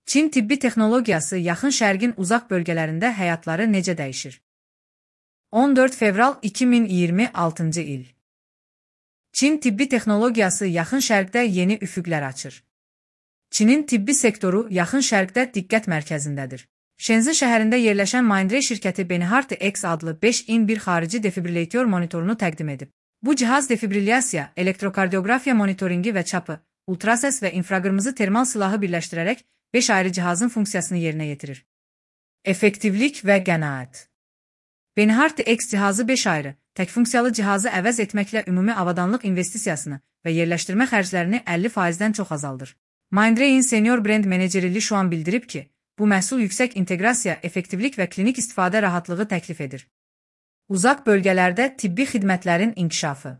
Çin tibbi texnologiyası Yaxın Şərqin uzaq bölgələrində həyatları necə dəyişir? 14 fevral 2026 il. Çin tibbi texnologiyası Yaxın Şərqdə yeni üfüqlər açır. Çinin tibbi sektoru Yaxın Şərqdə diqqət mərkəzindədir. Shenzhen şəhərində yerləşən Mindray şirkəti Beinhardt X adlı 5x1 xarici defibrillator monitorunu təqdim edib. Bu cihaz defibrillyasiya, elektrokardiografiya monitoringi və çapı, ultrases və infraqırmızı termal silahı birləşdirərək 5 ayrı cihazın funksiyasını yerinə yetirir. Effektivlik və qənaət. Beinhardt X cihazı 5 ayrı, tək funksiyalı cihazı əvəz etməklə ümumi avadanlıq investisiyasını və yerləşdirmə xərclərini 50%-dən çox azaldır. Mindray'in senior brend meneceri Li Shuan bildirib ki, bu məhsul yüksək inteqrasiya, effektivlik və klinik istifadə rahatlığı təklif edir. Uzaq bölgələrdə tibbi xidmətlərin inkişafı.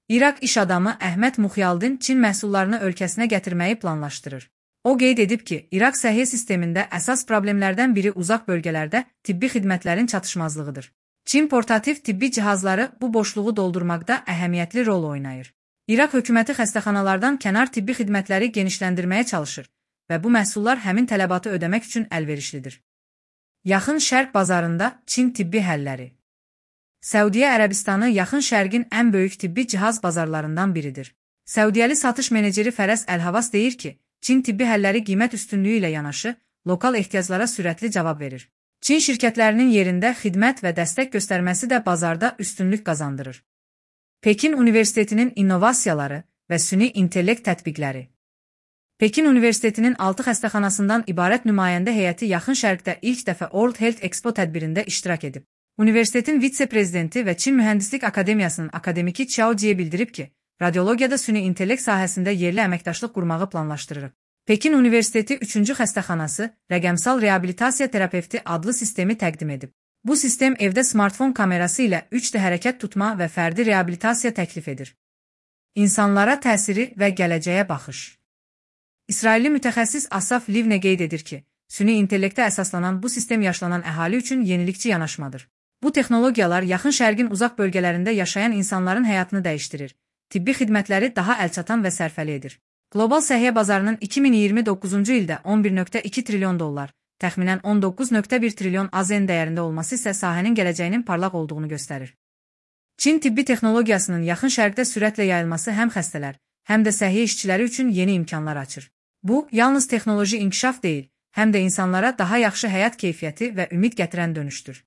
İraq iş adamı Əhməd Muxyaldin Çin məhsullarını ölkəsinə gətirməyi planlaşdırır. O qeyd edib ki, İraq səhiyyə sistemində əsas problemlərdən biri uzaq bölgələrdə tibbi xidmətlərin çatışmazlığıdır. Çin portativ tibbi cihazları bu boşluğu doldurmaqda əhəmiyyətli rol oynayır. İraq hökuməti xəstəxanalardan kənar tibbi xidmətləri genişləndirməyə çalışır və bu məhsullar həmin tələbatı ödəmək üçün əlverişlidir. Yaxın Şərq bazarında Çin tibbi həlləri. Səudiyyə Ərəbistanı Yaxın Şərqin ən böyük tibbi cihaz bazarlarından biridir. Səudiyyəli satış meneceri Fərəz Əlhavas deyir ki, Çin tibbi həlləri qiymət üstünlüyü ilə yanaşı, lokal ehtiyaclara sürətli cavab verir. Çin şirkətlərinin yerində xidmət və dəstək göstərməsi də bazarda üstünlük qazandırır. Pekin Universitetinin innovasiyaları və süni intellekt tətbiqləri. Pekin Universitetinin 6 xəstəxanasından ibarət nümayəndə heyəti Yaxın Şərqdə ilk dəfə World Health Expo tədbirində iştirak edib. Universitetin vitse-prezidenti və Çin Mühəndislik Akademiyasının akademiki Qiao Jie bildirib ki, radiologiyada süni intellekt sahəsində yerli əməkdaşlıq qurmağı planlaşdırırıq. Pekin Universiteti 3-cü xəstəxanası rəqəmsal reabilitasiya terapevti adlı sistemi təqdim edib. Bu sistem evdə smartfon kamerası ilə 3D hərəkət tutma və fərdi reabilitasiya təklif edir. İnsanlara təsiri və gələcəyə baxış. İsrailli mütəxəssis Asaf Livne qeyd edir ki, süni intellektə əsaslanan bu sistem yaşlanan əhali üçün yenilikçi yanaşmadır. Bu texnologiyalar Yaxın Şərqin uzaq bölgələrində yaşayan insanların həyatını dəyişdirir. Tibbi xidmətləri daha əlçatan və sərfəli edir. Qlobal səhiyyə bazarının 2029-cu ildə 11,2 trilyon dollar, təxminən 19,1 trilyon AZN dəyərində olması isə sahənin gələcəyinin parlaq olduğunu göstərir. Çin tibbi texnologiyasının Yaxın Şərqdə sürətlə yayılması həm xəstələr, həm də səhiyyə işçiləri üçün yeni imkanlar açır. Bu, yalnız texnoloji inkişaf deyil, həm də insanlara daha yaxşı həyat keyfiyyəti və ümid gətirən dönüşdür.